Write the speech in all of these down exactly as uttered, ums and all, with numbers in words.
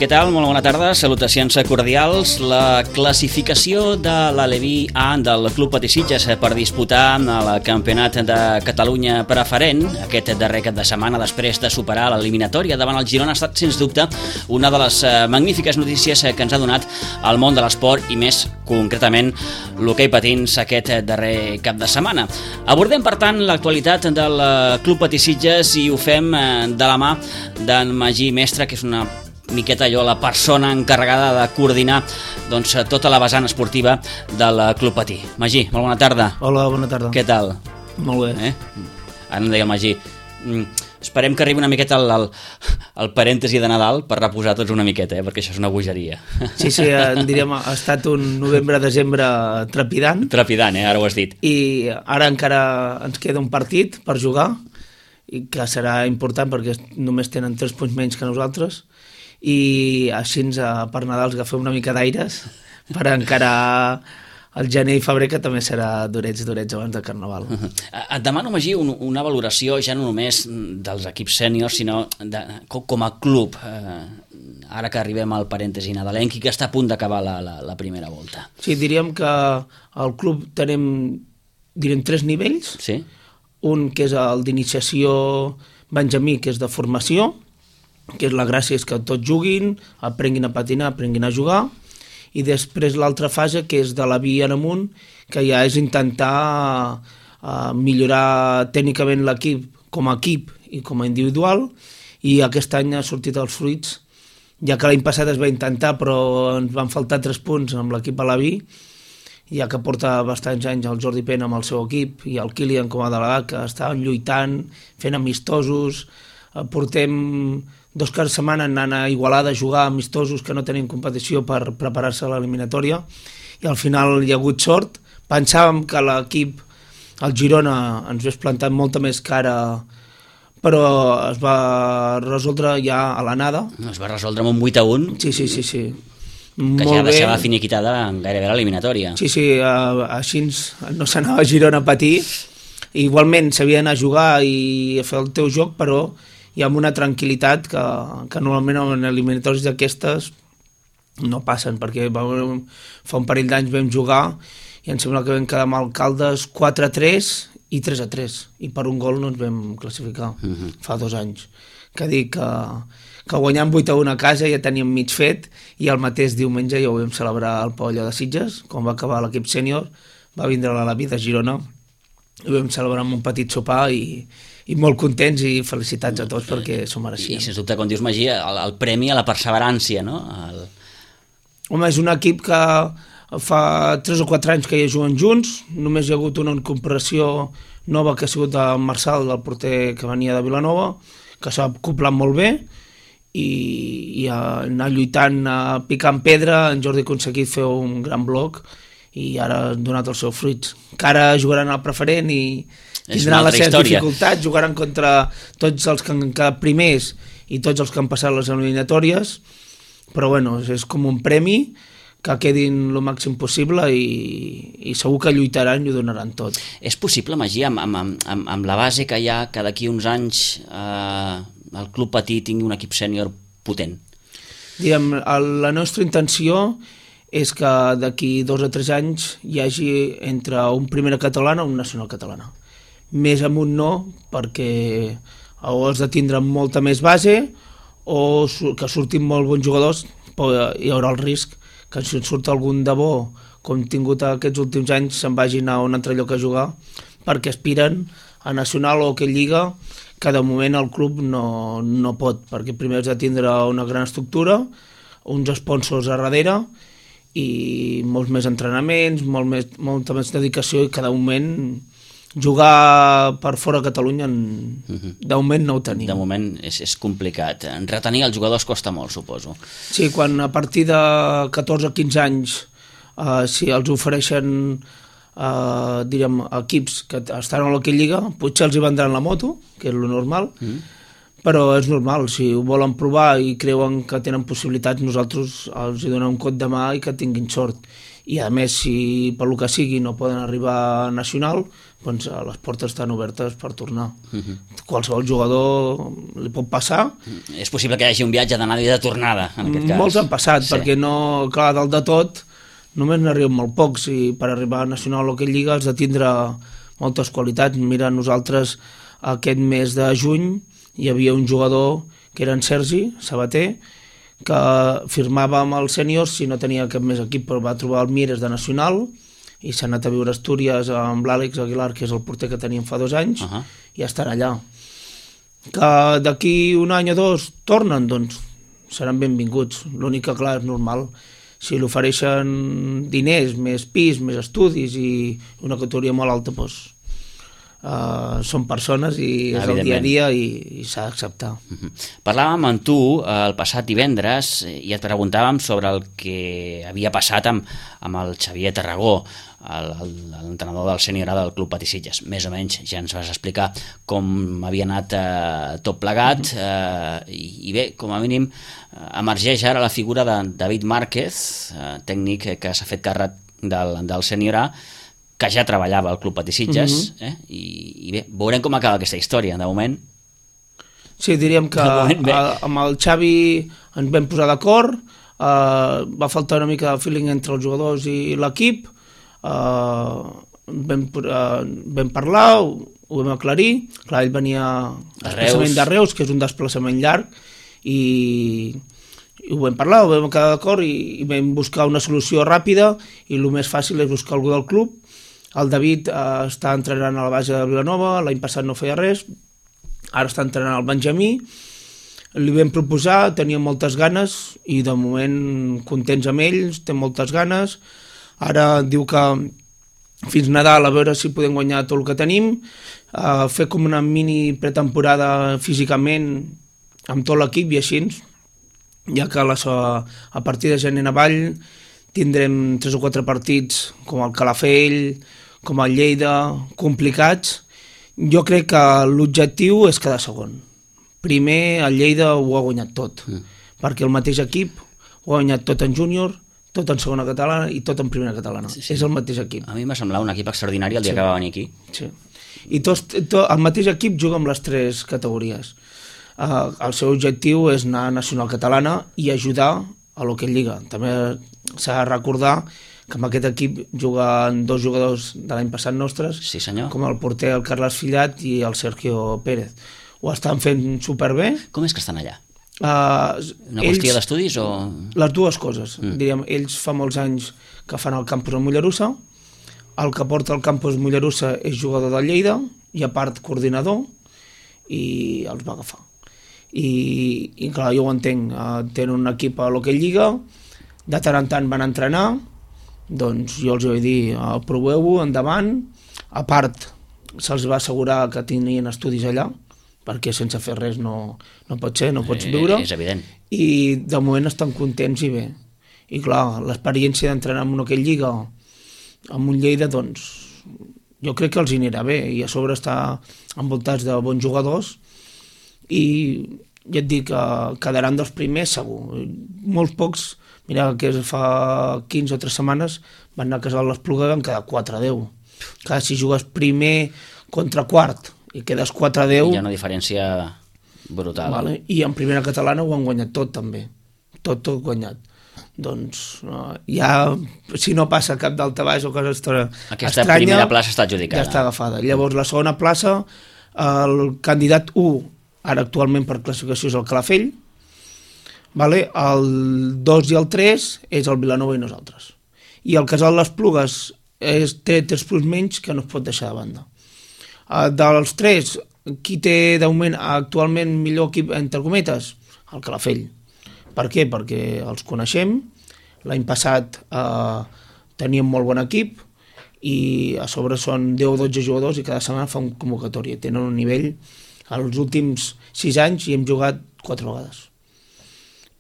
Què tal? Molt bona tarda, salutacions cordials. La classificació de l'Aleví A del Club Patí Sitges per disputar el Campionat de Catalunya preferent aquest darrer cap de setmana després de superar l'eliminatòria davant el Girona ha estat, sens dubte, una de les magnífiques notícies que ens ha donat el món de l'esport i més concretament l'hoquei patins aquest darrer cap de setmana. Abordem, per tant, l'actualitat del Club Patí Sitges i ho fem de la mà d'en Magí Mestre, que és una miqueta allò, la persona encarregada de coordinar doncs, tota la vessant esportiva del Club Patí. Magí, molt bona tarda. Hola, bona tarda. Què tal? Molt bé. Eh? Ara em deia el Magí, mm, esperem que arribi una miqueta el, el, el parèntesi de Nadal per reposar tots una miqueta, eh? Perquè això és una bogeria. Sí, sí, diríem, ha estat un novembre-desembre trepidant. Trepidant, eh? Ara ho has dit. I ara encara ens queda un partit per jugar, i que serà important perquè només tenen tres punts menys que nosaltres, i així per Nadal els agafem una mica d'aires per encarar el gener i febrer, que també serà durets, durets abans de Carnaval. Uh-huh. Et demano, Magí, un, una valoració ja no només dels equips sèniors, sinó de, com a club, eh, ara que arribem al parèntesi nadalenc i que està a punt d'acabar la, la, la primera volta. Sí, diríem que al club tenim, diríem, tres nivells. Sí. Un que és el d'iniciació benjamí, que és de formació, que és la gràcia és que tots juguin, aprenguin a patinar, aprenguin a jugar, i després l'altra fase, que és de la via en amunt, que ja és intentar uh, millorar tècnicament l'equip com a equip i com a individual, i aquest any ha sortit els fruits, ja que l'any passat es va intentar, però ens van faltar tres punts amb l'equip a la vi, ja que porta bastants anys el Jordi Pena amb el seu equip i el Kilian com a delegat, que estaven lluitant, fent amistosos, portem dos caps de setmana anant a Igualada a jugar amistosos que no tenim competició per preparar-se a l'eliminatòria, i al final hi ha hagut sort. Pensàvem que l'equip, el Girona, ens hagués plantat molta més cara, però es va resoldre ja a l'anada. Es va resoldre amb un vuit a un. Sí, sí, sí, sí. Que Molt ja bé. deixava finiquitada gairebé l'eliminatòria. Sí, sí, uh, així no s'anava a Girona a patir. Igualment s'havia d'anar a jugar i a fer el teu joc, però hi ha una tranquil·litat que, que normalment en eliminatòries d'aquestes no passen, perquè vam, fa un parell d'anys vam jugar i em sembla que vam quedar amb Alcaldes quatre a tres i tres a tres, i per un gol no ens vam classificar. Uh-huh. Fa dos anys. Que dic que, que guanyant vuit a un a casa ja teníem mig fet, i el mateix diumenge ja ho vam celebrar al Pavelló de Sitges, quan va acabar l'equip sènior, va vindre la Lavi de Girona, i vam celebrar amb un petit sopar i, i molt contents, i felicitats a tots perquè s'ho mereixien. I sens dubte, quan dius, Magí, el, el premi a la perseverància, no? El... Home, és un equip que fa tres o quatre anys que ja juguen junts, només hi ha hagut una incorporació nova que ha sigut el Marçal, el porter que venia de Vilanova, que s'ha acoplat molt bé, i, i a anar lluitant, a picar en pedra, en Jordi ha aconseguit fer un gran bloc, i ara ha donat els seus fruits. Que ara jugaran al preferent i tindran les seves dificultats, jugaran contra tots els que han quedat primers i tots els que han passat les eliminatòries, però bueno, és com un premi, que quedin el màxim possible, i, i segur que lluitaran i ho donaran tot. És possible, Magí, amb, amb, amb, amb la base que hi ha, que d'aquí uns anys eh, el Club Patí tingui un equip sènior potent? Diguem, la nostra intenció és que d'aquí dos o tres anys hi hagi entre un primera catalana o un nacional catalana. Més amunt no, perquè o has de tindre molta més base o que surtin molt bons jugadors, però hi haurà el risc que si en surt algun de bo, com hem tingut aquests últims anys, se'n vagin a un altre lloc a jugar, perquè aspiren a nacional o a lliga, que de moment el club no, no pot, perquè primer has de tindre una gran estructura, uns sponsors a darrere, i molts més entrenaments, molt més, molta més dedicació, i cada moment jugar per fora de Catalunya uh-huh. de moment no ho tenim. De moment és, és complicat. Retenir els jugadors costa molt, suposo. Sí, quan a partir de catorze o quinze anys eh, si els ofereixen eh, diríem, equips que estan a l'Hockey Lliga, potser els hi vendran la moto, que és lo normal, uh-huh. però és normal, si ho volen provar i creuen que tenen possibilitats, nosaltres els hi donem un cot de mà i que tinguin sort. i a més, si per lo que sigui no poden arribar a nacional, doncs les portes estan obertes per tornar. Uh-huh. Qualsevol jugador li pot passar. És possible que hi hagi un viatge d'anada i de tornada, en aquest cas. Molts han passat, sí. Perquè no, clar, dalt de tot, només n'arriben molt pocs, i per arribar a nacional o a aquella lliga has de tindre moltes qualitats. Mira, nosaltres aquest mes de juny hi havia un jugador que era en Sergi Sabater, que firmava amb els sèniors si no tenia cap més equip, però va trobar el Mieres de nacional i s'ha anat a viure a Astúries amb l'Àlex Aguilar, que és el porter que teníem fa dos anys, uh-huh. i estarà allà. Que d'aquí un any o dos tornen, doncs seran benvinguts. L'únic que, clar, és normal. Si li ofereixen diners, més pis, més estudis i una categoria molt alta, doncs Uh, són persones i és el dia a dia i, i s'ha d'acceptar. Uh-huh. Parlàvem amb tu uh, el passat divendres i et preguntàvem sobre el que havia passat amb, amb el Xavier Tarragó, l'entrenador del sènior A del Club Patisitges. Més o menys ja ens vas explicar com havia anat uh, tot plegat, uh, i, i bé, com a mínim uh, emergeix ara la figura de David Márquez, uh, tècnic que s'ha fet càrrec del, del sènior A, que ja treballava al Club Patisitges, uh-huh. eh? I, i bé, veurem com acaba aquesta història, de moment. Sí, diríem que moment, a, amb el Xavi ens vam posar d'acord, uh, va faltar una mica de feeling entre els jugadors i l'equip, uh, vam, uh, vam parlar, ho, ho vam aclarir, clar, ell venia desplaçament de Reus, que és un desplaçament llarg, i... i ho vam parlar, ho vam quedar d'acord i, i vam buscar una solució ràpida, i el més fàcil és buscar algú del club. El David eh, està entrenant a la base de Vilanova, l'any passat no feia res, ara està entrenant al Benjamí, li vam proposar, tenia moltes ganes i de moment contents amb ells, té moltes ganes. Ara diu que fins Nadal a veure si podem guanyar tot el que tenim, eh, fer com una mini pretemporada físicament amb tot l'equip i així, ja que la, a partir de gener en avall tindrem tres o quatre partits com el Calafell, com el Lleida, complicats. Jo crec que l'objectiu és quedar segon. Primer el Lleida ho ha guanyat tot, mm. perquè el mateix equip ho ha guanyat tot en júnior, tot en segona catalana i tot en primera catalana. Sí, sí. És el mateix equip. A mi m'ha semblat un equip extraordinari el dia sí. que va venir aquí. Sí. I tots, tot, el mateix equip juga amb les tres categories. Uh, el seu objectiu és anar a Nacional Catalana i ajudar a l'Hockey Lliga. També s'ha de recordar que amb aquest equip juguen dos jugadors de l'any passat nostres, sí, senyor. Com el porter el Carles Fillat i el Sergio Pérez. Ho estan fent superbé. Com és que estan allà? Uh, Una qüestió d'estudis o...? Les dues coses. Mm. Diríem, ells fa molts anys que fan el campus a Mollerussa, el que porta el campus Mollerussa és jugador de Lleida i a part coordinador, i els va agafar. I, i clar, jo ho entenc, uh, tenen un equip a l'Hockey Lliga, de tant en tant van entrenar, doncs jo els vaig dir, uh, proveu-ho, endavant. A part, se'ls va assegurar que tenien estudis allà, perquè sense fer res no, no pot ser, no pots viure. Eh, és evident. I de moment estan contents i bé. I clar, l'experiència d'entrenar en una Hockey Lliga, amb un Lleida, doncs, jo crec que els hi anirà bé, i a sobre està envoltats de bons jugadors, i ja et dic que quedaran dels primers segur. Molts pocs, mira que fa quinze o tres setmanes van anar a Casal l'Espluga i van quedar quatre a deu. Clar, si jugues primer contra quart i quedes quatre a deu... Hi ha una diferència brutal. Vale? I en primera catalana ho han guanyat tot també, tot, tot guanyat. Doncs no, ja, si no passa cap d'alta baix o cosa estranya... Aquesta primera plaça està adjudicada. Ja està agafada. Llavors la segona plaça, el candidat u ara actualment per classificació és el Calafell, vale? El dos i el tres és el Vilanova i nosaltres. I el Casal l'Esplugues és, té tres punts menys que no es pot deixar de banda. Uh, dels tres, qui té d'augment actualment millor equip, entre cometes? El Calafell. Per què? Perquè els coneixem, l'any passat uh, teníem molt bon equip i a sobre són deu o dotze jugadors i cada setmana fa una convocatòria. Tenen un nivell... Els últims sis anys hi hem jugat quatre vegades.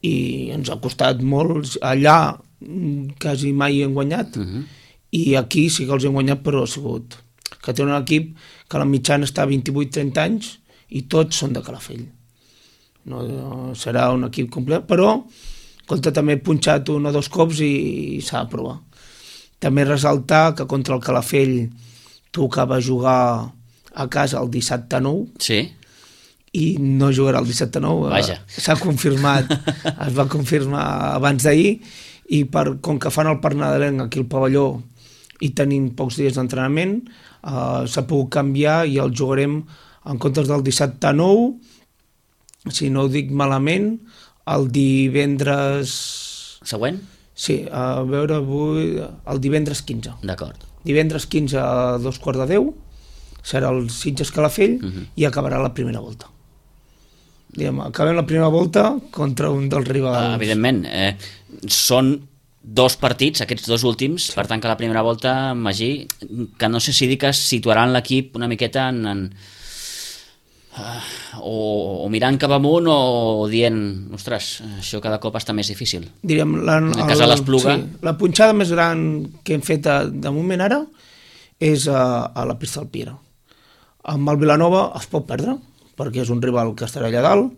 I ens ha costat molt. Allà quasi mai hem guanyat, uh-huh. i aquí sí que els hem guanyat, però ha sigut que té un equip que la mitjana està a vint-i-vuit trenta anys i tots són de Calafell. No, no serà un equip complet, però escolta, també he punxat un o dos cops i, i s'ha de provar. També ressaltar que contra el Calafell tocava jugar a casa el dissabte nou. Sí. I no jugarà el dissabte nou. Vaja. S'ha confirmat, es va confirmar abans d'ahir, i per, com que fan el parc nadalenc aquí al pavelló i tenim pocs dies d'entrenament, eh, s'ha pogut canviar i el jugarem en comptes del dissabte nou, si no ho dic malament, el divendres... Següent? Sí, a veure, avui, el divendres quinze. D'acord. Divendres quinze a dos quarts de deu, serà el Sitges Calafell, uh -huh. i acabarà la primera volta. Diguem, acabem la primera volta contra un dels rivals. Ah, evidentment, eh, són dos partits, aquests dos últims, sí. Per tant que la primera volta, Magí, que no sé si dir que situaran l'equip una miqueta en... en uh, o, o mirant cap amunt o dient, ostres, això cada cop està més difícil. Diríem, la, en el cas de l'Espluga... Sí, la punxada més gran que hem fet de, de moment ara és a, a la pista del Piera. Amb el Vilanova es pot perdre, perquè és un rival que estarà allà dalt.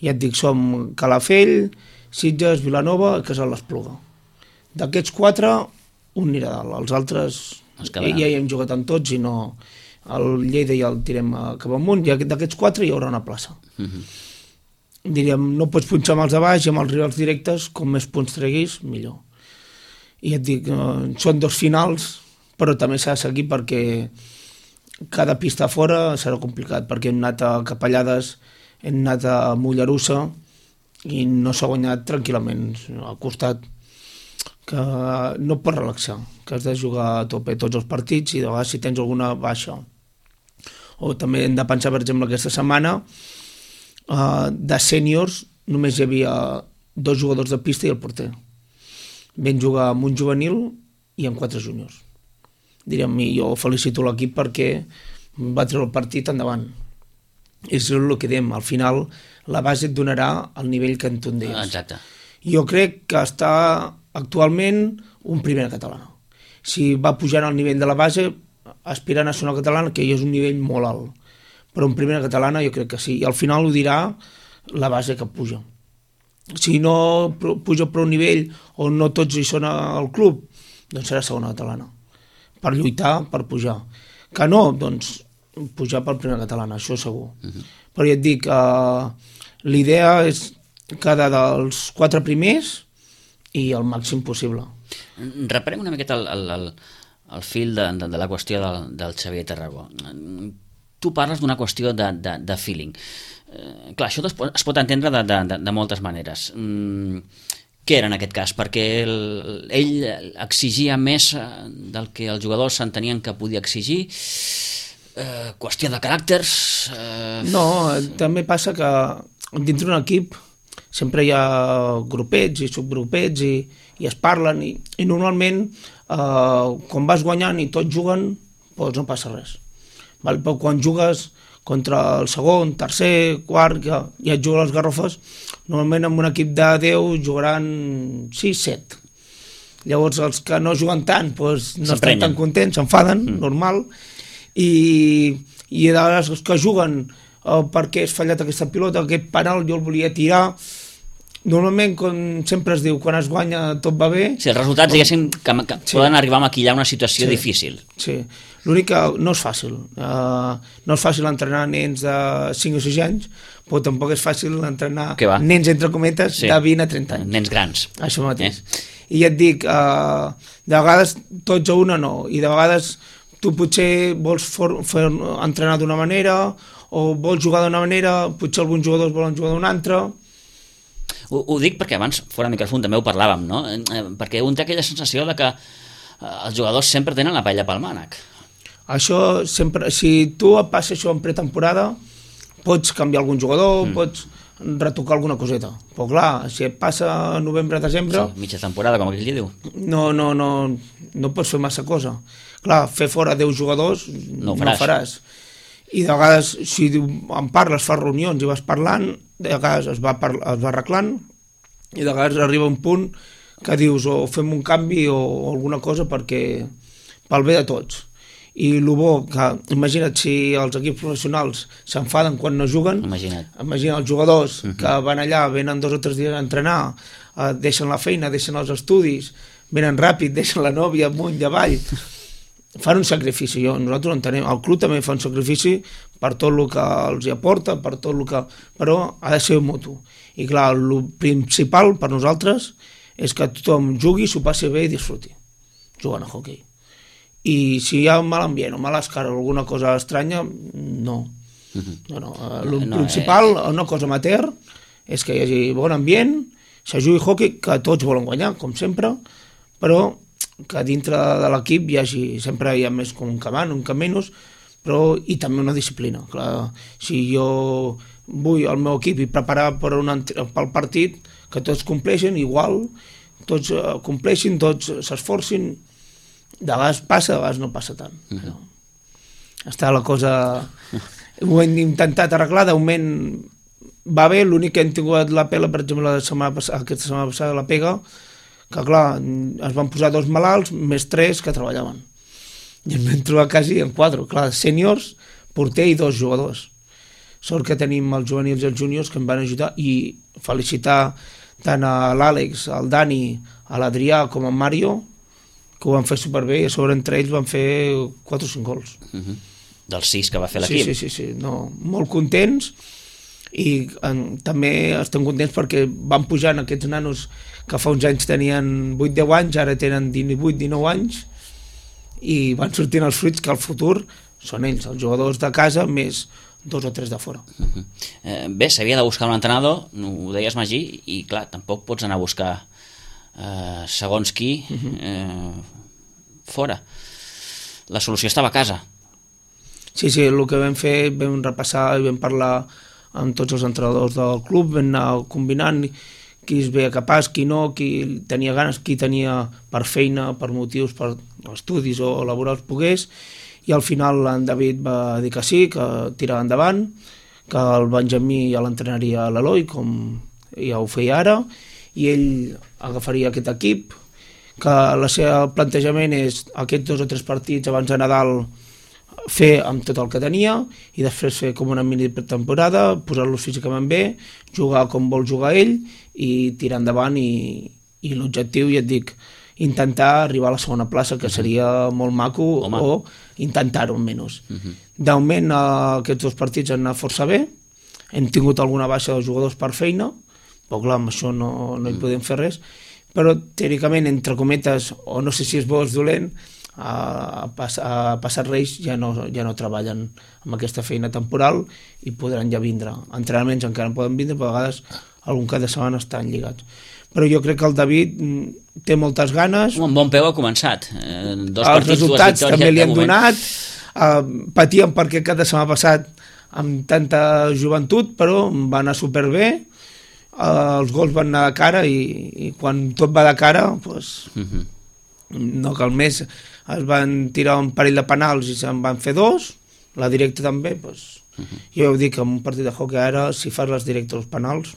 Ja et dic, som Calafell, Sitges, Vilanova, que és a l'Espluga. D'aquests quatre, un anirà dalt. Els altres ja hi hem jugat amb tots i no... El Lleida ja el tirem cap amunt, i d'aquests quatre hi haurà una plaça. Uh -huh. Diríem, no pots punxar amb els de baix i amb els rivals directes, com més punts treguis, millor. I et dic, eh, són dos finals, però també s'ha de seguir perquè cada pista fora serà complicat, perquè hem anat a Capellades, hem anat a Mollerussa i no s'ha guanyat tranquil·lament al costat, que no pots relaxar, que has de jugar a tope tots els partits i de vegades si tens alguna baixa. O també hem de pensar, per exemple, aquesta setmana uh, de sèniors només hi havia dos jugadors de pista i el porter. Vam jugar amb un juvenil i amb quatre júniors. Diríem, jo felicito l'equip perquè va treure el partit endavant. És el que diem, al final la base et donarà el nivell que en tu en deies. Exacte. Jo crec que està actualment un primera catalana. Si va pujant al nivell de la base, aspira a nacional catalana, que ja és un nivell molt alt. Però en primera catalana jo crec que sí. I al final ho dirà la base que puja. Si no puja per un nivell on no tots hi són al club, doncs serà segona catalana. Per lluitar, per pujar. Que no, doncs pujar per primera catalana, això segur. Uh -huh. Però ja et dic, eh, l'idea és quedar dels quatre primers i el màxim possible. Reparem una miqueta el, el, el, el fil de, de, de la qüestió del, del Xavier Tarragó. Tu parles d'una qüestió de, de, de feeling. Eh, clar, això es pot, es pot entendre de, de, de, de moltes maneres. Mm, què era en aquest cas? Perquè el, ell exigia més del que els jugadors s'entenien que podia exigir? Eh, qüestió de caràcters? Eh... No, també passa que dintre d'un equip sempre hi ha grupets i subgrupets i, i es parlen i, i normalment eh, quan vas guanyant i tots juguen doncs no passa res, val? Però quan jugues contra el segon, tercer, quart, que ja et juguen les garrofes, normalment amb un equip de deu jugaran sis set. Llavors els que no juguen tant doncs no estan tan contents, s'enfaden, mm. normal, i, i de vegades els que juguen eh, perquè has fallat aquesta pilota, aquest penal jo el volia tirar. Normalment, com sempre es diu, quan es guanya tot va bé. Sí, els resultats, diguéssim, que, que sí. poden arribar a maquillar una situació sí. difícil. Sí, l'únic que no és fàcil. Uh, no és fàcil entrenar nens de cinc o sis anys, però tampoc és fàcil entrenar nens, entre cometes, sí. de vint a trenta anys. Nens grans. Això mateix. Eh? I ja et dic, uh, de vegades tots a una no, i de vegades tu potser vols for, fer, entrenar d'una manera o vols jugar d'una manera, potser alguns jugadors volen jugar d'una altra. Ho, ho dic perquè abans, fora de micròfon, també ho parlàvem, no? Eh, perquè un té aquella sensació de que eh, els jugadors sempre tenen la paella pel mànec. Això sempre, si tu et passa això en pretemporada, pots canviar algun jugador, mm. pots retocar alguna coseta. Però clar, si et passa novembre-desembre... Sí, mitja temporada, com aquell que diu. No, no, no, no pots fer massa cosa. Clar, fer fora deu jugadors no ho faràs. No faràs. I de vegades, si en parles, fas reunions i vas parlant, de vegades es va, parla, es va arreglant, i de vegades arriba un punt que dius o fem un canvi o, o alguna cosa perquè pel bé de tots. I el bo, que imagina't si els equips professionals s'enfaden quan no juguen, imagina't, imagina't els jugadors uh-huh. que van allà, venen dos o tres dies a entrenar, eh, deixen la feina, deixen els estudis, venen ràpid, deixen la nòvia amunt i avall, fan un sacrifici, jo, nosaltres ho entenem, el club també fa un sacrifici per tot el que els hi aporta, per tot el que... però ha de ser mutu. I clar, el principal per nosaltres és que tothom jugui, s'ho passi bé i disfruti, jugant a hoquei. I si hi ha un mal ambient o mala escara o alguna cosa estranya, no. No, no. El No, principal, eh. una cosa amateur, és que hi hagi bon ambient, se jugui hoquei, que tots volen guanyar, com sempre, però que dintre de l'equip hi hagi, sempre hi ha més com un que van, un que menys, però i també una disciplina. Clar, si jo vull al meu equip i preparar per un, pel partit, que tots compleixin igual, tots compleixin, tots s'esforcin, de vegades passa, de vegades no passa tant. Uh -huh. Està la cosa... Ho hem intentat arreglar, d'augment va bé, l'únic que hem tingut la pela, per exemple, la setmana passada, aquesta setmana passada, la pega, que clar, es van posar dos malalts més tres que treballaven. I ens vam trobar quasi en quatre, clar, sèniors, porter i dos jugadors. Sort que tenim els juvenils i els júniors que em van ajudar i felicitar tant a l'Àlex, al Dani, a l'Adrià com a Mario, que ho van fer superbé i a sobre entre ells van fer quatre o cinc gols. Uh -huh. Dels sis que va fer l'equip. Sí, sí, sí, sí. No, molt contents i en, també estem contents perquè van pujant aquests nanos que fa uns anys tenien vuit deu anys, ara tenen divuit dinou anys i van sortint els fruits que al futur són ells, els jugadors de casa més dos o tres de fora. Uh -huh. eh, bé, s'havia de buscar un entrenador, ho deies Magí, i clar, tampoc pots anar a buscar eh, segons qui eh, fora. La solució estava a casa. Sí, sí, el que vam fer, vam repassar i vam parlar amb tots els entrenadors del club, vam anar combinant qui es veia capaç, qui no, qui tenia ganes, qui tenia per feina, per motius, per estudis o laborals pogués, i al final en David va dir que sí, que tirava endavant, que el Benjamí ja l'entrenaria l'Eloi, com ja ho feia ara, i ell agafaria aquest equip, que el seu plantejament és aquests dos o tres partits abans de Nadal fer amb tot el que tenia i després fer com una mini pretemporada, posar-los físicament bé, jugar com vol jugar ell i tirar endavant i, i l'objectiu, ja et dic, intentar arribar a la segona plaça, que seria molt maco, Home. o intentar-ho almenys. Uh -huh. D'augment aquests dos partits han anat força bé, hem tingut alguna baixa dels jugadors per feina, però clar, amb això no, no hi podem fer res, però teòricament, entre cometes, o no sé si és bo o és dolent, a, pas, a passar Reis ja no, ja no treballen amb aquesta feina temporal i podran ja vindre. Entrenaments encara no poden vindre, però a vegades algun cap de setmana estan lligats. Però jo crec que el David té moltes ganes. Un bon peu ha començat. Eh, dos els partits, resultats dues també li han moment. donat. Eh, patíem perquè cap de setmana passat amb tanta joventut, però va anar superbé. Eh, els gols van anar de cara i, i quan tot va de cara, doncs, uh -huh. no cal més. Es van tirar un parell de penals i se'n van fer dos, la directa també, doncs, uh -huh. jo ho dic, en un partit de hockey ara, si fas les directes als penals,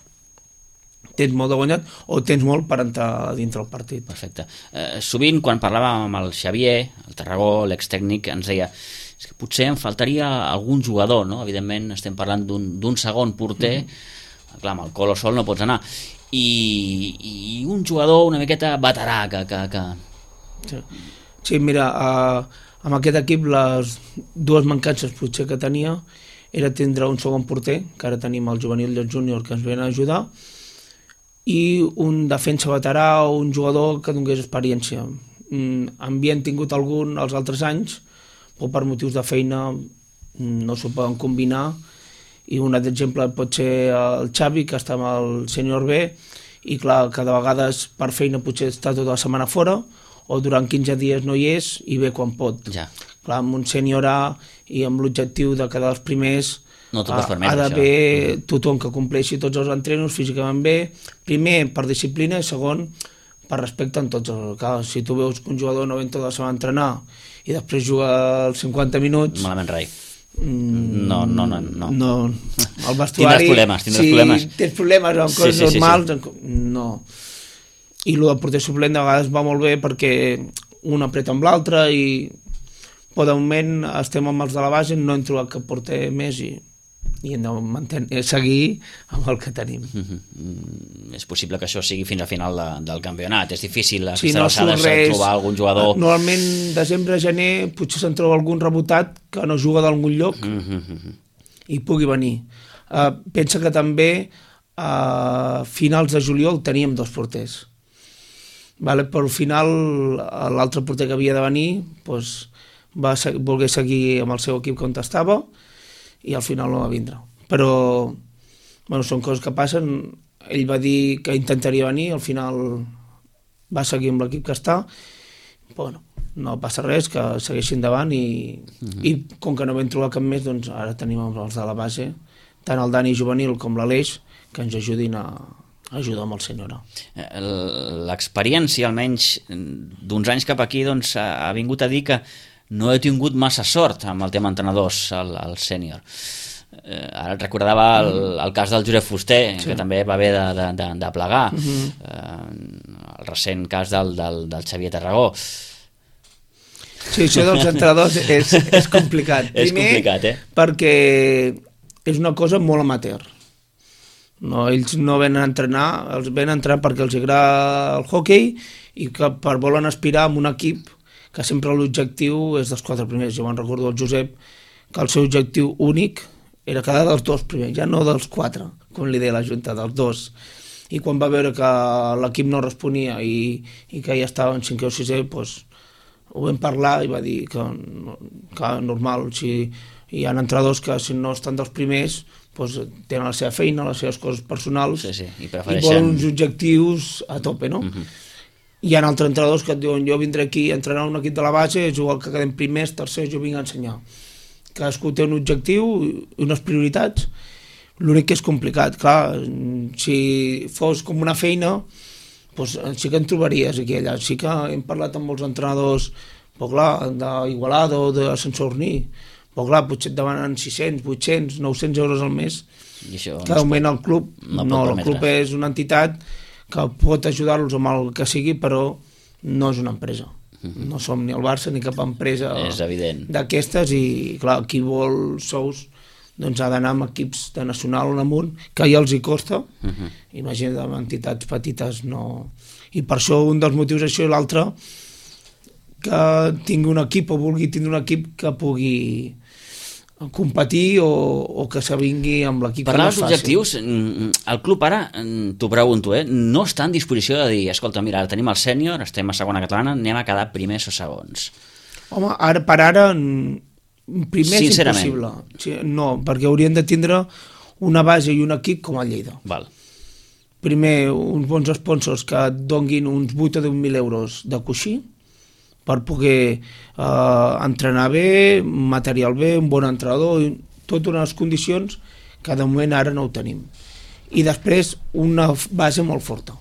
tens molt de guanyat o tens molt per entrar dintre el partit. Perfecte. Eh, sovint, quan parlàvem amb el Xavier, el Tarragó, l'extècnic, ens deia és que potser em faltaria algun jugador, no? Evidentment estem parlant d'un segon porter, mm. clar, amb el Colo sol no pots anar, i, i un jugador una miqueta veterà que... que, que... Sí. sí, mira, uh, amb aquest equip les dues mancances potser que tenia era tindre un segon porter, que ara tenim el juvenil i el júnior que ens venen a ajudar, i un defensa veterà o un jugador que donés experiència. Mm, havien tingut algun els altres anys, però per motius de feina no s'ho poden combinar, i un altre exemple pot ser el Xavi, que està amb el sènior B, i clar, cada vegada per feina potser està tota la setmana fora, o durant quinze dies no hi és, i ve quan pot. Ja. Clar, amb un sènior A i amb l'objectiu de quedar els primers, no t'ho pots permetre, ha d'haver això. Tothom que compleixi tots els entrenos físicament bé, primer per disciplina i segon per respecte en tots els... Clar, si tu veus que un jugador no ven tota la setmana a entrenar i després juga els cinquanta minuts... Malament rai. Mm, no, no, no, no. no. El vestuari... Tindràs problemes, tindràs si problemes. Si tens problemes amb coses sí, sí, normals... Sí, sí. No. I el porter suplent de vegades va molt bé perquè un apreta amb l'altre i... Però de moment estem amb els de la base, no hem trobat cap porter més i i hem de mantenir, seguir amb el que tenim. Mm-hmm. És possible que això sigui fins al final de, del campionat. És difícil a si aquestes no alçades res, trobar algun jugador... Normalment desembre, gener, potser se'n troba algun rebotat que no juga d'algun lloc mm-hmm. i pugui venir. Uh, pensa que també a finals de juliol teníem dos porters. Vale, però al final l'altre porter que havia de venir doncs, va voler seguir amb el seu equip on estava i al final no va vindre. Però bueno, són coses que passen. Ell va dir que intentaria venir, al final va seguir amb l'equip que està. Bueno, no passa res, que segueixi endavant i, uh-huh. i com que no vam trobar cap més, doncs ara tenim els de la base, tant el Dani juvenil com l'Aleix, que ens ajudin a ajudar amb el senyor. L'experiència, almenys d'uns anys cap aquí, doncs, ha vingut a dir que no he tingut massa sort amb el tema entrenadors, el, el sènior. Eh, ara et recordava el, el cas del Josep Fuster, sí. que també va haver de, de, de, de plegar. Uh-huh. eh, el recent cas del, del, del Xavier Tarragó. Sí, això dels entrenadors és, és complicat. és Primer, complicat, eh? perquè és una cosa molt amateur. No, ells no venen a entrenar, els venen a entrenar perquè els agrada el hoquei i que per volen aspirar a un equip que sempre l'objectiu és dels quatre primers. Jo me'n recordo el Josep que el seu objectiu únic era quedar dels dos primers, ja no dels quatre, com li deia la Junta, dels dos. I quan va veure que l'equip no responia i, i que ja estava en cinquè o sisè, doncs, ho vam parlar i va dir que, que normal, si hi ha entrenadors que si no estan dels primers doncs, tenen la seva feina, les seves coses personals sí, sí, i, i prefereixen... volen uns objectius a tope, no? Uh-huh. Hi ha altres entrenadors que et diuen jo vindré aquí a entrenar un equip de la base, jugar que quedem primers, tercers, jo vinc a ensenyar. Cadascú té un objectiu i unes prioritats. L'únic que és complicat, clar, si fos com una feina, doncs sí que en trobaries aquí allà. Sí que hem parlat amb molts entrenadors, però clar, d'Igualada o de Sant Sadurní, però clar, potser et demanen sis-cents, vuit-cents, nou-cents euros al mes. I això que augment el club. No, no el club és una entitat que pot ajudar-los amb el que sigui, però no és una empresa. Uh-huh. No som ni el Barça ni cap empresa d'aquestes i, clar, qui vol sous doncs ha d'anar amb equips de nacional on amunt, que ja els hi costa. Uh-huh. Imagina't, amb entitats petites no... I per això un dels motius això i l'altre, que tingui un equip o vulgui tindre un equip que pugui competir o, o que s'avingui amb l'equip. Parlar dels objectius, el club ara, t'ho pregunto, eh, no està en disposició de dir, escolta, mira, ara tenim el sènior, estem a segona catalana, anem a quedar primers o segons. Home, ara per ara, primer és impossible. No, perquè haurien de tindre una base i un equip com a Lleida. Val. Primer, uns bons sponsors que et donguin uns vuit o deu mil euros de coixí, per poder eh, entrenar bé, material bé, un bon entrenador, totes unes condicions que de moment ara no ho tenim. I després una base molt forta.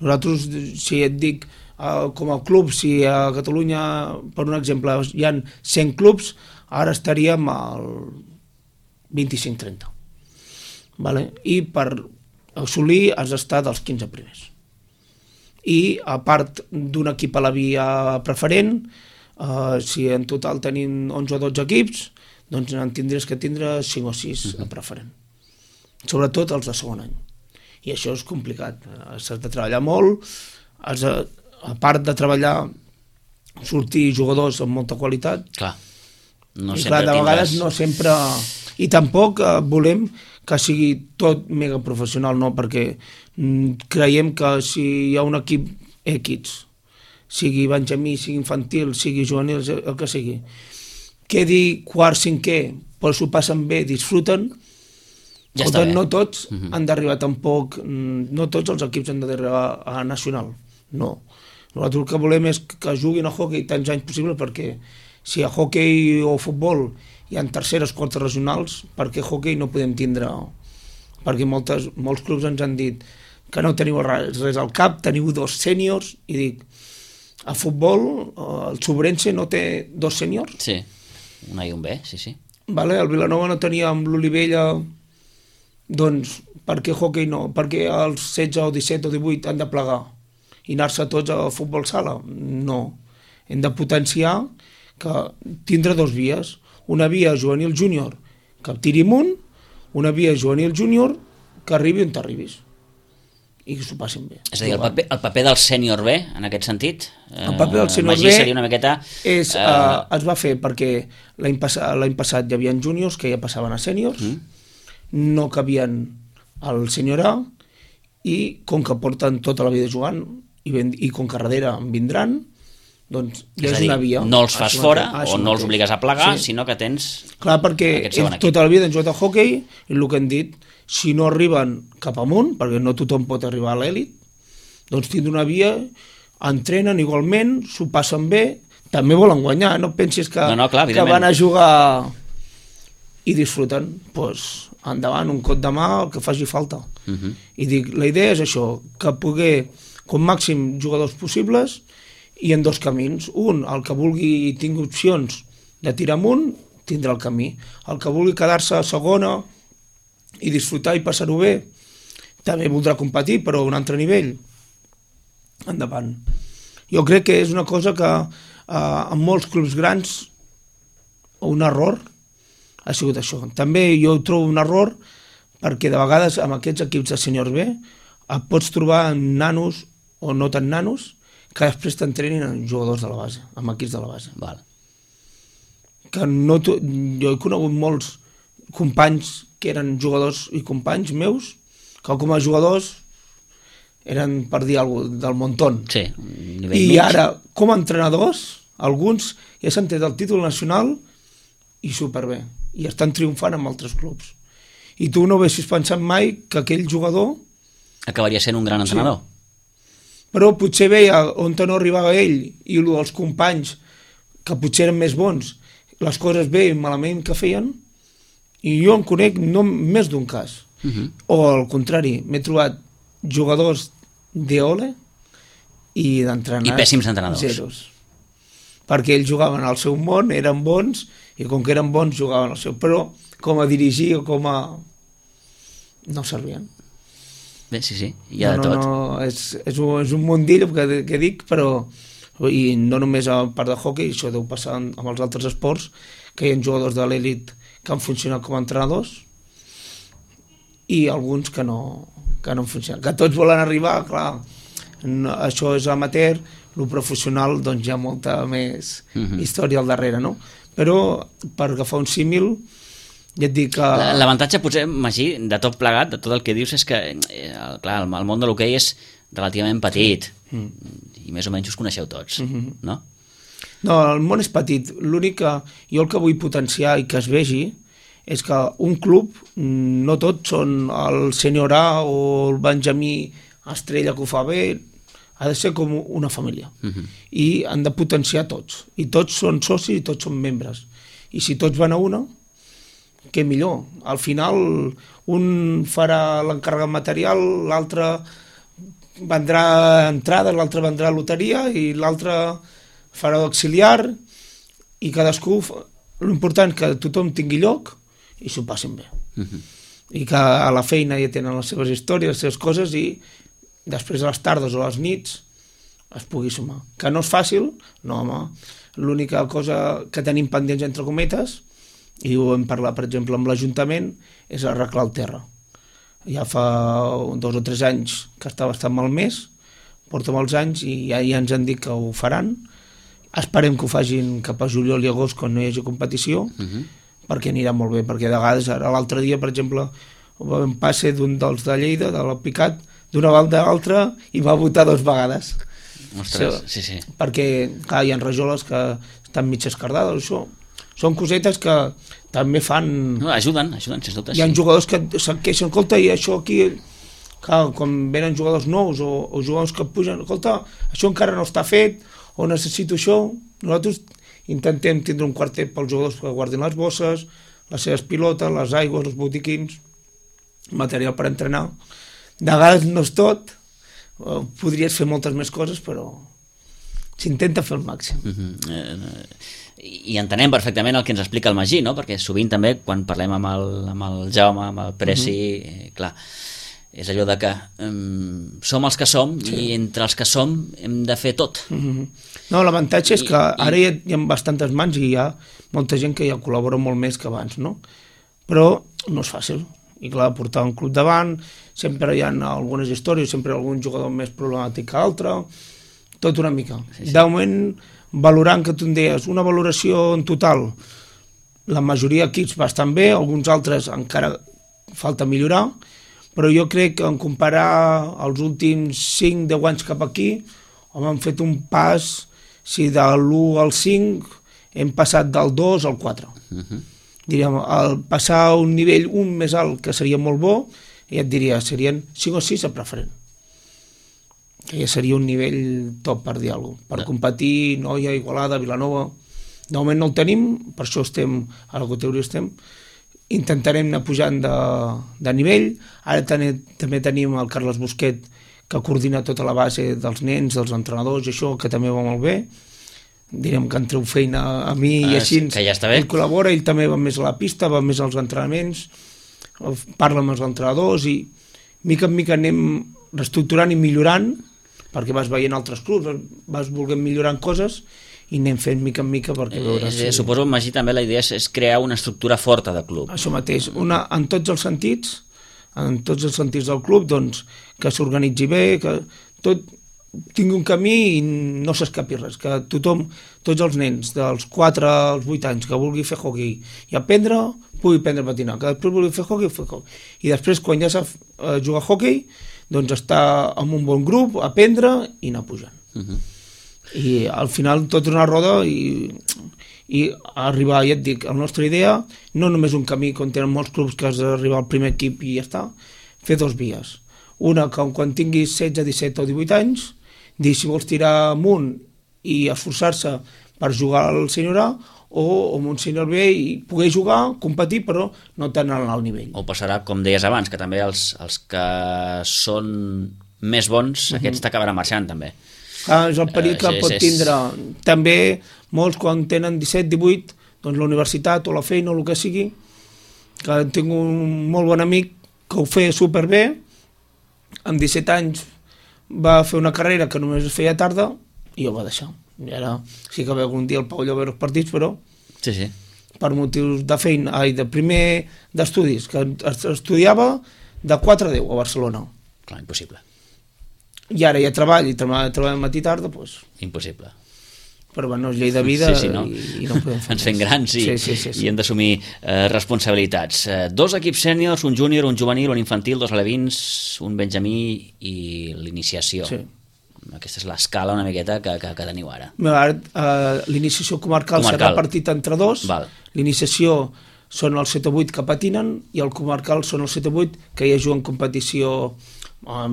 Nosaltres, si et dic, eh, com a club, si a Catalunya, per un exemple, hi ha cent clubs, ara estaríem al vint-i-cinc trenta. Vale? I per assolir has d'estar dels quinze primers. I a part d'un equip a la via preferent, eh, si en total tenim onze o dotze equips, doncs en tindries que tindre cinc o sis uh-huh. a preferent. Sobretot els de segon any. I això és complicat. Has de treballar molt, has de, a part de treballar, sortir jugadors amb molta qualitat. Clar. No I sempre clar, de tindràs... vegades no sempre... I tampoc eh, volem que sigui tot mega professional, no, perquè mm, creiem que si hi ha un equip X, sigui benjamí, sigui infantil, sigui juvenil, el que sigui, quedi quart, cinquè, però s'ho passen bé, disfruten, ja està bé. No tots uh-huh. han d'arribar tampoc, no tots els equips han d'arribar a nacional, no. Nosaltres el que volem és que juguin a hoquei tants anys possible, perquè si a hoquei o futbol hi ha terceres, quartes regionals, perquè hoquei no podem tindre, perquè moltes, molts clubs ens han dit que no teniu res, res al cap, teniu dos sèniors, i dic, a futbol el Sobrense no té dos sèniors? Sí, un A i un B, sí, sí. Vale, el Vilanova no tenia amb l'Olivella, doncs, per què hoquei no? Perquè els setze o disset o divuit han de plegar i anar-se tots a futbol sala? No. Hem de potenciar que tindre dos vies, una via juvenil júnior que tiri amunt, una via juvenil júnior que arribi on t'arribis i que s'ho passin bé. És a dir, el paper, el paper del sènior B, en aquest sentit, el paper del sènior Magí B seria una miqueta... És, eh... uh, es va fer perquè l'any passat, l'any passat hi havia júniors que ja passaven a sèniors, mm. no cabien al sènior A, i com que porten tota la vida jugant i, ben, i com que darrere en vindran, doncs ja és, és dir, una via. No els fas fora mateix, o no els obligues a plegar, sí. sinó que tens... Clar, perquè ells tota la vida han jugat a hoquei i el que han dit, si no arriben cap amunt, perquè no tothom pot arribar a l'èlit, doncs tindran una via, entrenen igualment, s'ho passen bé, també volen guanyar, no pensis que, no, no, clar, que van a jugar i disfruten, doncs endavant, un cot de mà, el que faci falta. Uh -huh. I dic, la idea és això, que poder, com màxim jugadors possibles, i en dos camins. Un, el que vulgui i tingui opcions de tirar amunt, tindrà el camí. El que vulgui quedar-se a segona i disfrutar i passar-ho bé, també voldrà competir, però a un altre nivell. Endavant. Jo crec que és una cosa que eh, en molts clubs grans un error ha sigut això. També jo trobo un error perquè de vegades amb aquests equips de sèniors B et pots trobar nanos o no tan nanos que després t'entrenin en jugadors de la base, amb equips de la base. Val. Que no jo he conegut molts companys que eren jugadors i companys meus que com a jugadors eren, per dir alguna cosa, del montón. Sí, i mig. Ara, com a entrenadors, alguns ja s'han tret el títol nacional i superbé, i estan triomfant amb altres clubs. I tu no haguessis pensat mai que aquell jugador... acabaria sent un gran entrenador. Sí. Però potser veia on no arribava ell i els companys, que potser eren més bons, les coses bé i malament que feien, i jo en conec no més d'un cas. Uh-huh. O al contrari, m'he trobat jugadors d'Eole i d'entrenadors. I pèssims entrenadors. Zeros. Perquè ells jugaven al seu món, eren bons, i com que eren bons jugaven al seu, però com a dirigir o com a... no servien. Bé, sí, sí, hi ha no, de tot. No, no, és, és, un, és un mundillo que, que dic, però i no només a part de hockey, això deu passar amb els altres esports, que hi ha jugadors de l'elit que han funcionat com a entrenadors i alguns que no, que no han funcionat. Que tots volen arribar, clar, no, això és amateur, el professional doncs hi ha molta més uh-huh. història al darrere, no? Però per agafar un símil, ja et dic que... L'avantatge potser, Magí, de tot plegat, de tot el que dius, és que eh, clar, el món de l'hoquei és relativament petit sí. mm. i més o menys us coneixeu tots, mm-hmm. no? No, el món és petit. L'únic que jo el que vull potenciar i que es vegi és que un club, no tots són el sènior A o el benjamí estrella que ho fa bé, ha de ser com una família. Uh-huh. I han de potenciar tots. I tots són socis i tots són membres. I si tots van a una, què millor. Al final, un farà l'encàrrec material, l'altre vendrà entrades, l'altre vendrà loteria i l'altre farà auxiliar i cadascú... L'important és que tothom tingui lloc i s'ho passin bé. Uh-huh. I que a la feina ja tenen les seves històries, les seves coses i després a les tardes o a les nits es pugui sumar. Que no és fàcil, no home, l'única cosa que tenim pendents entre cometes, i ho hem parlat per exemple amb l'Ajuntament, és arreglar el terra. Ja fa dos o tres anys que està bastant malmès, porta molts anys i ja, ja ens han dit que ho faran. Esperem que ho facin cap a juliol i agost quan no hi hagi competició, uh-huh. perquè anirà molt bé, perquè de vegades ara l'altre dia, per exemple, vam passe d'un dels de Lleida, de l'Alpicat, d'una banda a l'altra i va votar dues vegades. Ostres, sí, sí. Perquè, clar, hi ha rajoles que estan mig escardades, això. Són cosetes que també fan... No, ajuden, ajuden, sens dubte. Hi ha sí. jugadors que se'n queixen, escolta, i això aquí... Clar, quan venen jugadors nous o, o jugadors que pugen, escolta, això encara no està fet, o necessito això. Nosaltres intentem tindre un quartet pels jugadors que guardin les bosses, les seves pilotes, les aigües, els botiquins, material per entrenar. De vegades no és tot, podries fer moltes més coses, però s'intenta fer el màxim. Uh-huh. eh, I entenem perfectament el que ens explica el Magí, no? Perquè sovint també, quan parlem amb el, amb el Jaume, amb el Preci, uh-huh. eh, clar, és allò de que um, som els que som sí. i entre els que som hem de fer tot. Uh-huh. No, l'avantatge és que ara i... hi ha bastantes mans i hi ha molta gent que ja col·labora molt més que abans, no? Però no és fàcil. i clar, portar un club davant, sempre hi ha algunes històries, sempre hi ha algun jugador més problemàtic que altre, tot una mica. Sí, sí. De moment, valorant que tu em deies, una valoració en total, la majoria d'equips bastant bé, alguns altres encara falta millorar, però jo crec que en comparar els últims cinc deu anys cap aquí, home, hem fet un pas, si de l'u al cinc hem passat del dos al quatre. Uh-huh. Diríem, al passar a un nivell un més alt, que seria molt bo, ja et diria, serien cinc o sis a preferent. Que ja seria un nivell top, per dir alguna cosa. Per competir, Noia, Igualada, Vilanova. De moment no el tenim, per això estem, a la categoria estem, intentarem anar pujant de, de nivell. Ara també, també tenim el Carles Busquet, que coordina tota la base dels nens, dels entrenadors, i això, que també va molt bé. Direm que en treu feina a mi ah, i així. Que ja està bé. Ell col·labora, ell també va més a la pista, va més als entrenaments, parla amb els entrenadors i mica en mica anem reestructurant i millorant, perquè vas veient altres clubs, vas volent millorar coses i anem fent mica en mica perquè veuràs... Eh, si... Suposo, Magí, també la idea és, és crear una estructura forta de club. Això mateix, una, en tots els sentits, en tots els sentits del club, doncs, que s'organitzi bé, que tot tingui un camí i no s'escapi res, que tothom, tots els nens dels quatre als vuit anys que vulgui fer hockey i aprendre, pugui aprendre a patinar, que després vulgui fer hockey, fer hockey. I després, quan ja sap eh, jugar a hockey, doncs estar en un bon grup, aprendre i anar pujant. Uh-huh. I al final tot una roda i, i arribar, ja et dic, la nostra idea, no només un camí, com tenen molts clubs que has d'arribar al primer equip i ja està, fer dos vies. Una, que quan tinguis setze, disset o divuit anys, dir si vols tirar amunt i esforçar-se per jugar al sènior A, o amb un sènior B i poder jugar, competir, però no tant al alt nivell. O passarà, com deies abans, que també els, els que són més bons, uh-huh. aquests t'acabaran marxant també. Ah, és el perill que uh, sí, pot tindre. És... També molts quan tenen disset, divuit, doncs la universitat o la feina o el que sigui, que tinc un molt bon amic que ho feia superbé, amb disset anys va fer una carrera que només es feia tarda i ho va deixar. I ara sí que ve algun dia al pavelló a veure els partits, però sí, sí. per motius de feina, ai, de primer d'estudis, que estudiava de quatre a deu a Barcelona. Clar, impossible. I ara ja treball, i treball, treball matí i tarda, doncs... Impossible. Però bueno, és llei de vida sí, sí, no? i, i no podem fer Ens fem grans i, sí, sí, sí, sí. i hem d'assumir eh, responsabilitats. Eh, dos equips sèniors, un júnior, un juvenil, un infantil, dos alevins, un benjamí i l'iniciació. Sí. Aquesta és l'escala una miqueta que, que, que teniu ara. Ara uh, l'iniciació comarcal, comarcal serà partit entre dos. Val. L'iniciació són els set o vuit que patinen i el comarcal són els set o vuit que ja juguen competició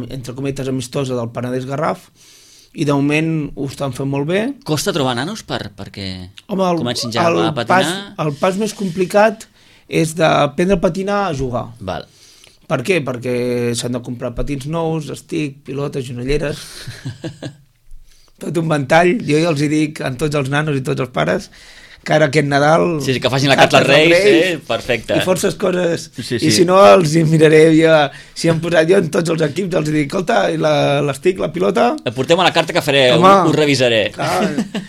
entre cometes amistosa del Penedès Garraf i de moment ho estan fent molt bé. Costa trobar nanos per, perquè Home, el, comencin ja el a patinar? Pas, el pas més complicat és d'aprendre a patinar a jugar. Val. Per què? Perquè s'han de comprar patins nous, estic, pilotes, genolleres, tot un ventall. Jo ja els hi dic a tots els nanos i tots els pares que ara aquest Nadal... Sí, sí, que facin la carta als Reis, eh? Perfecte. I forces coses. Sí, sí. I si no, els hi miraré jo, si han posat jo en tots els equips, els dic, escolta, l'estic, la pilota... Portem a la carta que faré, Home, ho, ho revisaré. Clar,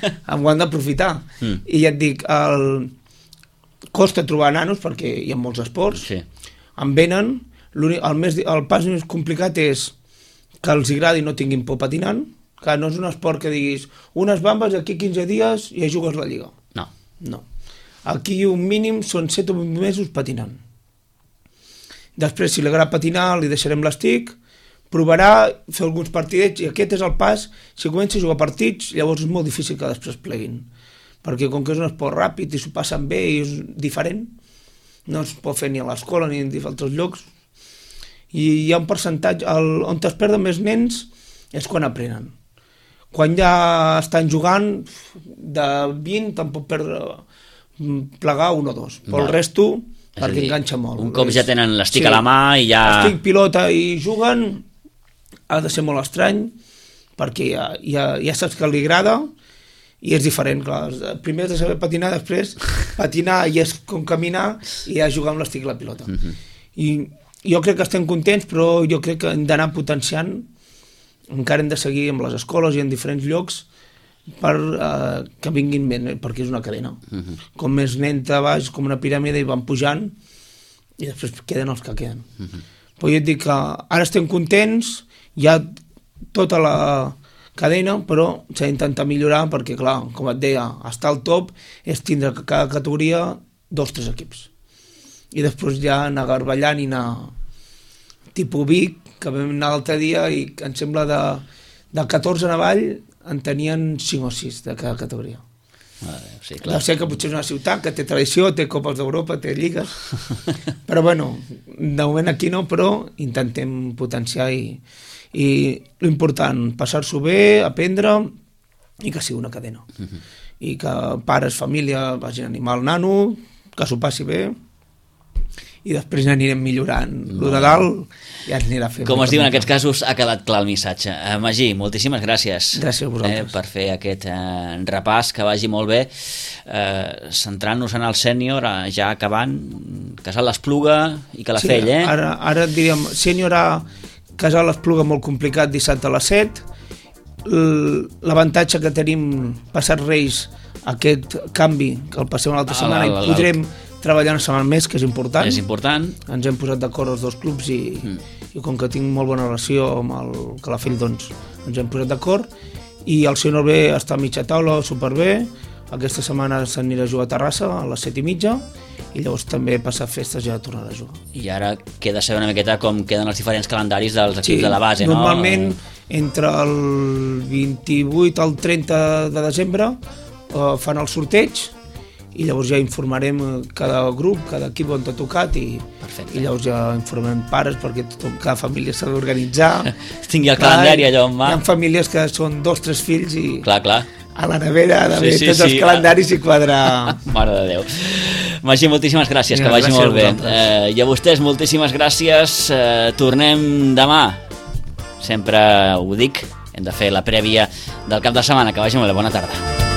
em ho han d'aprofitar. Mm. I ja et dic, el... costa trobar nanos, perquè hi ha molts esports, sí. En venen, el, més, el pas més complicat és que els agradi i no tinguin por patinant, que no és un esport que diguis, unes bambes, aquí quinze dies i ja jugues la lliga. No. No. Aquí un mínim són set o vuit mesos patinant. Després, si li agrada patinar, li deixarem l'estic, provarà fer alguns partidets i aquest és el pas. Si comença a jugar partits, llavors és molt difícil que després pleguin. Perquè com que és un esport ràpid i s'ho passen bé i és diferent, no es pot fer ni a l'escola ni en altres llocs. I hi ha un percentatge, el, on es perden més nens és quan aprenen. Quan ja estan jugant, de vint te'n pot perdre, plegar un o dos. Però el resto, perquè enganxa molt. Un cop ja tenen l'estic sí, a la mà i ja... Estic, pilota i juguen, ha de ser molt estrany, perquè ja, ja, ja saps que li agrada i és diferent. Clar. Primer has de saber patinar, després patinar i és com caminar i ja jugar amb l'estic i la pilota. Uh-huh. I jo crec que estem contents, però jo crec que hem d'anar potenciant. Encara hem de seguir amb les escoles i en diferents llocs per uh, que vinguin bé, perquè és una cadena. Uh-huh. Com més nen te baix, com una piràmide, i van pujant, i després queden els que queden. Uh-huh. Però jo et dic que ara estem contents, hi ha tota la cadena, però s'ha d'intentar millorar perquè, clar, com et deia, estar al top és tindre que cada categoria dos o tres equips. I després ja anar garballant i anar tipus Vic, que vam anar l'altre dia i em sembla de, de catorze en avall en tenien cinc o sis de cada categoria. Ah, sí, clar. Ja sé que potser és una ciutat que té tradició, té Copes d'Europa, té lligues, però bueno, de moment aquí no, però intentem potenciar i, i l'important, passar-s'ho bé, aprendre i que sigui una cadena. Uh-huh. I que pares, família, vagin a animar el nano, que s'ho passi bé, i després anirem millorant. No. Lo de dalt ja ens anirà fent. Com es diu en aquests casos, ha quedat clar el missatge. Eh, Magí, moltíssimes gràcies, gràcies a vosaltres. Eh, per fer aquest eh, repàs, que vagi molt bé. Eh, centrant-nos en el sènior, eh, ja acabant, Casal l'Espluga i Calafell, sí, eh? Ara, ara diríem, sènior a Casal l'Espluga molt complicat, dissabte a les set. L'avantatge que tenim passat Reis, aquest canvi, que el passem l'altra ah, setmana, i podrem treballar una setmana més, que és important. És important. Ens hem posat d'acord els dos clubs i, mm. i com que tinc molt bona relació amb el Calafell, doncs ens hem posat d'acord. I el sènior B està a mitja taula, superbé. Aquesta setmana s'anirà a jugar a Terrassa a les set i mitja i llavors també passar festes ja tornarà a jugar. I ara queda saber una miqueta com queden els diferents calendaris dels equips sí, de la base, no? Normalment entre el vint-i-vuit al trenta de desembre eh, fan el sorteig i llavors ja informarem cada grup, cada equip on t'ha tocat i, i llavors ja informem pares perquè tothom, cada família s'ha d'organitzar. Tingui el calendari allò en mà. Hi ha famílies que són dos, tres fills i clar, clar. A la nevera ha d'haver sí, sí, tots els sí, calendaris i quadrar. Mare de Déu. Magí, moltíssimes gràcies, sí, que vagi molt bé. Eh, I a vostès, moltíssimes gràcies. Eh, tornem demà. Sempre ho dic, hem de fer la prèvia del cap de setmana. Que vagi molt bé, bona tarda.